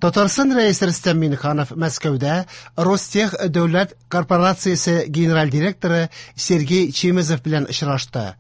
Татарстан Рәисе Рөстәм Миңнеханов Мәскәүдә Ростех дәүләт корпорациясе генераль директоры Сергей Чемезов белән очрашты.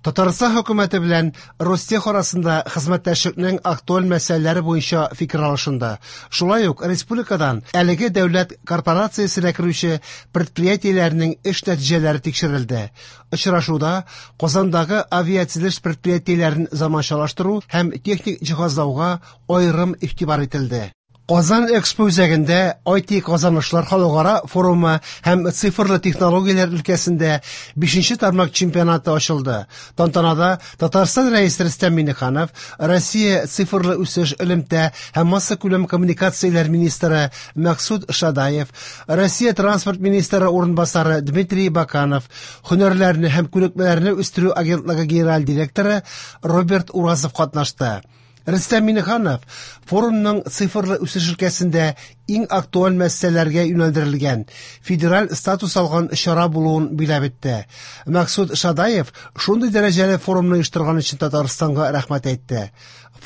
Татарстан хөкүмәте белән Ростех арасында хезмәттәшлекнең актуаль мәсьәләләре буенча фикер алышынды. Шулай ук республикадан әлеге дәүләт корпорациясенә керүче предприятиеләрнең эш нәтиҗәләре тикшерелде. Очрашуда Казандагы авиатөзелеш предприятиеләрен заманчалаштыру һәм техник җиһазлауга аерым игътибар ителде. Казан Экспо үзәгендә IT казанышлар халыкара форумы һәм цифрлы технологияләр өлкәсендә 5нче тармак чемпионаты ачылды. Тантанада Татарстан Рәисе Рөстәм Миңнеханов, Россия цифрлы үсеш, элемтә һәм массакүләм коммуникацияләр министры Максут Шадаев, Россия транспорт министры урынбасары Дмитрий Баканов, һөнәрләрне һәм күнекмәләрне үстерү агентлыгы генераль директоры Роберт Уразов катнашты. Рөстәм Миңнеханов форумның цифрлы үсеш өлкәсендә иң актуаль мәсьәләләргә юнәлдерелгән федераль статус алган чара булуын биләп итте. Максут Шадаев шундый дәрәҗәле форумны оештырган өчен Татарстанга рәхмәт әйтте.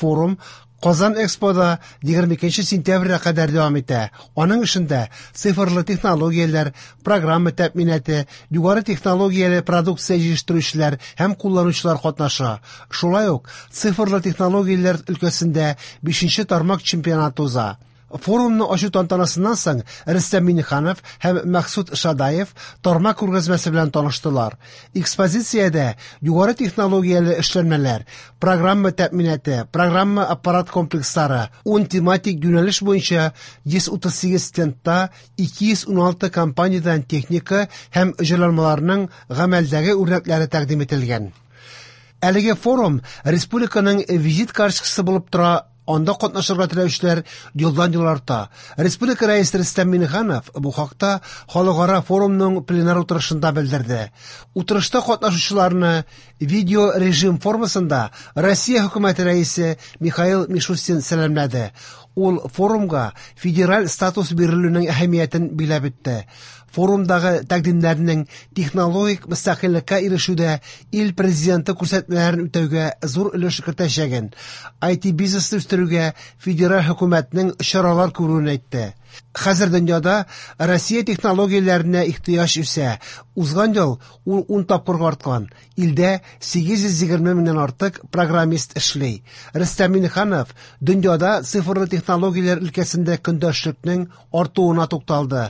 Форум Казан Экспода 22 сентябрьгә кадәр дәвам итә. Аның эшендә цифрлы технологияләр, программа тәэминаты, югары технологияле продукция җитештерүчеләр һәм кулланучылар катнаша. Шулай ук цифрлы технологияләр өлкәсендә 5нче тармак чемпионаты уза. Форумны ачу тантанасыннан соң Рөстәм Миңнеханов һәм Максут Шадаев тармак күргәзмәсе белән таныштылар. Экспозициядә югары технологияле эшләнмәләр, программа тәэминаты, программа аппарат комплекслары, 10 тематик юнәлеш буенча 138 стендта 216 компаниядән техника һәм җайланмаларның гамәлдәге үрнәкләре тәкъдим ителгән. Әлеге форум республиканың визит карточкасы булып тора. Анда катнашырга теләүчеләр елдан-ел арта. Республика Рәисе Рөстәм Миңнеханов бу хакта халыкара форумның пленар утырышында белдерде. Утырышта катнашучыларны видео режим формасында Россия хөкүмәте рәисе Михаил Мишустин сәламләде. Ул форумга федераль статус бирелүнең әһәмиятен биләп үтте. Форумдагы тәкъдимнәрнең технологик мөстәкыйльлеккә ирешүдә ил президенты күрсәтмәләрен үтәүгә зур өлеш кертәчәген, IT бизнесны үстерүгә федераль хөкүмәтнең чаралар күрүен әйтте. Хәзер дөньяда Россия технологияләренә ихтыяҗ үсә. Узган ел ул 10 тапкырга арткан. Илдә 820 меңнән артык программист эшли. Рөстәм Миңнеханов дөньяда цифрлы технологияләр өлкәсендә көндәшлекнең артуына тукталды.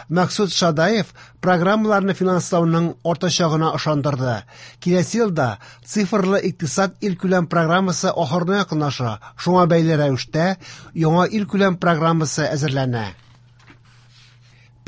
Максут Шадаев программаларны финанслауның артачагына ышандырды. Киләсе елда цифрлы икътисад илкүләм программасы ахырына якынлаша. Шуңа бәйле рәвештә яңа илкүләм программасы әзерләнә.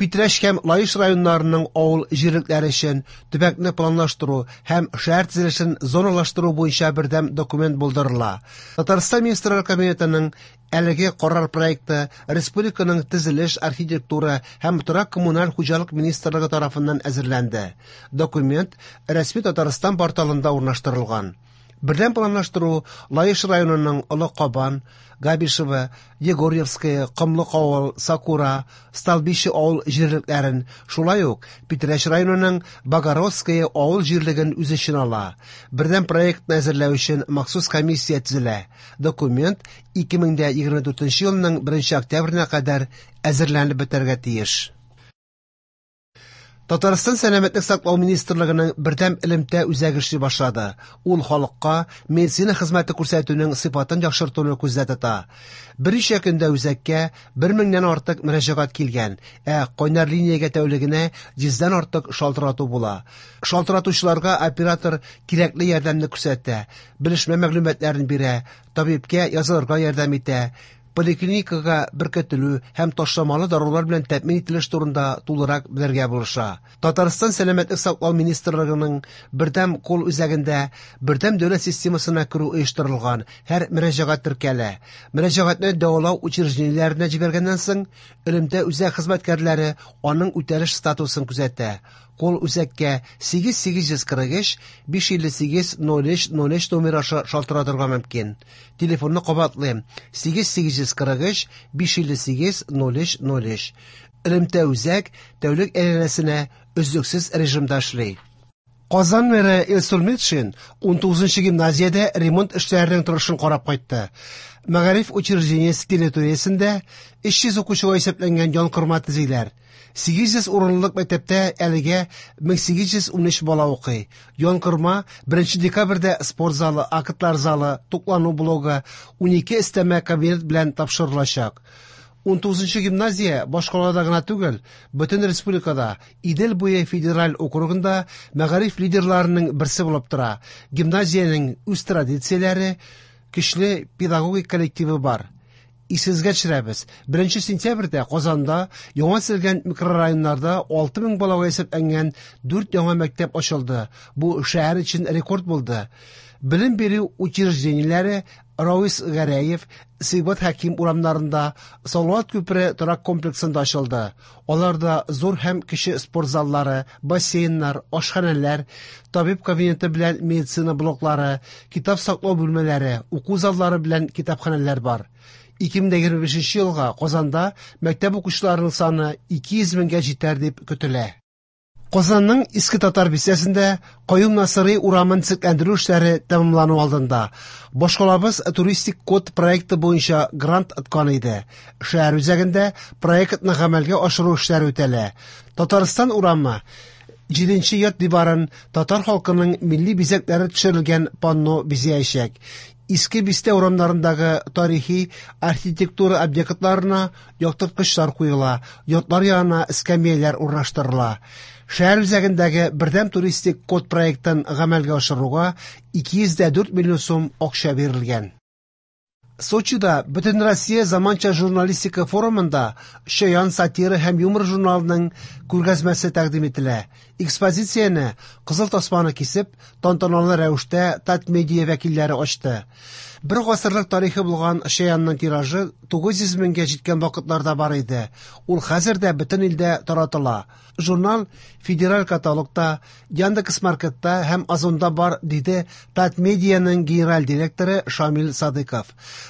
Питрәч һәм Лаеш районнарының авыл җирлекләре өчен төбәкне планлаштыру һәм шәһәр төзелешен зоналаштыру буенча бердәм документ булдырыла. Татарстан Министрлар Кабинетының әлеге карар проекты республиканың төзелеш, архитектура һәм торак коммуналь хуҗалык министрлыгы тарафыннан әзерләнде. Документ рәсми Татарстан порталында урнаштырылган. Бердәм планлаштыру Лаеш районының Олы Кабан, Габишево, Егорьевское, Комлык авыл, Сакура, Столбище авыл җирлекләрен, шулай ук Питрәч районының Богородское авыл җирлеген үз эченә ала. Бердәм проектны әзерләү өчен махсус комиссия төзелә. Документ 2024 елның 1 октябренә кадәр әзерләнеп бетәргә тиеш. Татарстан Сәламәтлек саклау министрлыгының бердәм элемтә үзәге эшли башлады. Ул халыкка медицина хезмәте күрсәтүнең сыйфатын яхшыртуны күздә тота. Берничә көндә үзәккә 1000-нән артык мөрәҗәгать килгән, ә кайнар линиягә тәүлегенә 100-дән артык шалтырату була. Шалтыратучыларга оператор кирәкле ярдәмне күрсәтә, белешмә мәгълүматларын бирә, табибкә язылырга ярдәм итә, поликлиникага беркетелү һәм ташламалы дарулар белән тәэмин ителеш турында тулырак белергә булыша. Татарстан Сәламәтлек саклау министрлыгының бердәм кул үзәгендә бердәм дәүләт системасына керү оештырылган. Һәр мөрәҗәгать теркәлә. Мөрәҗәгатьне дәвалау учреждениеләренә җибәргәннән соң, элемтә үзәк хезмәткәрләре аның үтәлеш статусын күзәтә. Кул үзәккә 8843 558 03 03 номер аша шалтыратырга мөмкин. Телефонны кабатлыйм: 8843 558 03 03. Элемтә үзәк тәүлек әйләнәсенә өзлексез режимда эшли. Казан мэры Илсур Метшин 19 гимназиядә ремонт эшләренең торышын карап кайтты. Мәгариф учреждениесе территориясендә 300 укучыга исәпләнгән янкорма төзиләр. 800 урынлык мәктәптә әлегә 1813 бала укый. Янкорма 1 декабрьдә спорт залы, актлар залы, туклану блогы, 12 өстәмә кабинет белән тапшырылачак. 19 гимназия башкалада гына түгел, бөтен республикада, Идел буе федераль округында мәгариф лидерларының берсе булып тора. Гимназиянең үз традицияләре, көчле педагогик коллективы бар. Исегезгә төшерәбез, 1 сентябрьдә Казанда яңа төзелгән микрорайоннарда 6000 балага исәпләнгән 4 яңа мәктәп ачылды. Бу шәһәр өчен рекорд булды. Белем бирү учреждениеләре Равис Гәрәев, Сибгат Хәким урамнарында, Салават күпере торак комплексында ачылды. Аларда зур һәм кече спорт заллары, бассейннар, ашханәләр, табиб кабинеты белән медицина блоклары, китап саклау бүлмәләре, уку заллары белән китапханәләр бар. 2025 елга Казанда мәктәп укучыларының саны 200 меңгә җитәр дип көтелә. Казанның Иске Татар бистәсендә Каюм Насыйри урамын төзекләндерү эшләре тәмамлану алдында. Башкалабыз туристик код проекты буенча грант откан иде. Шәһәр үзәгендә проектны гамәлгә ашыру эшләре үтәлә. Татарстан урамы 7 йорт диварын татар халкының милли бизәкләре төшерелгән панно бизәячәк. Иске бистә урамнарындагы тарихи архитектура объектларына яктырткычлар куела, йортлар янына эскәмияләр урнаштырыла. Шәһәр үзәгендәге бердәм туристик код проектын гамәлгә ашыруга 204 миллион сум акча бирелгән. Сочида Бөтенроссия заманча журналистика форумында Чаян сатира һәм юмор журналының күргәзмәсе тәкъдим ителә. Экспозицияне кызыл тасманы кисеп, тантаналы рәвештә Татмедиа вәкилләре ачты. Бер гасырлык тарихы булган Чаянның тиражы 900 меңгә җиткән вакытларда бар иде. Ул хәзер дә бөтен илдә таратыла. Журнал федераль каталогта, Яндекс.Маркетта һәм Озонда бар, диде Татмедианың генераль директоры Шамил Садыков.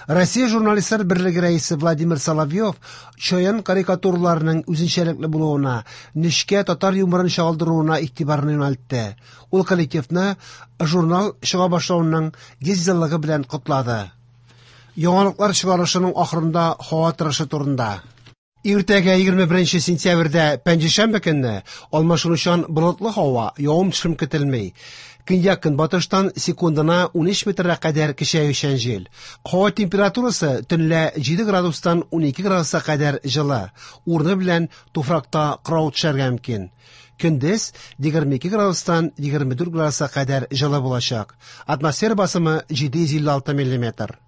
Россия журналистлар берлеге рәисе Владимир Соловьев Чаян карикатураларының үзенчәлекле булуына, нечкә татар юморын чагылдыруына игътибарны юнәлтте. Ул коллективны журнал чыга башлавының 100 еллыгы белән котлады. Яңалыклар чыгарылышының ахырында һава торышы турында. Иртәгә 21 сентябрьдә пәнҗешәмбе көнне алмашынучан болытлы һава, явым-төшем көтелми. Көньяк-көнбатыштан секундына 13 метрга кадәр көчәючән җил. Һава температурасы төнлә 7 градустан 12 градуска кадәр җылы. Урыны белән туфракта кырау төшәргә мөмкин. Көндез 22 градустан 24 градуска кадәр җылы булачак. Атмосфера басымы 756 миллиметр.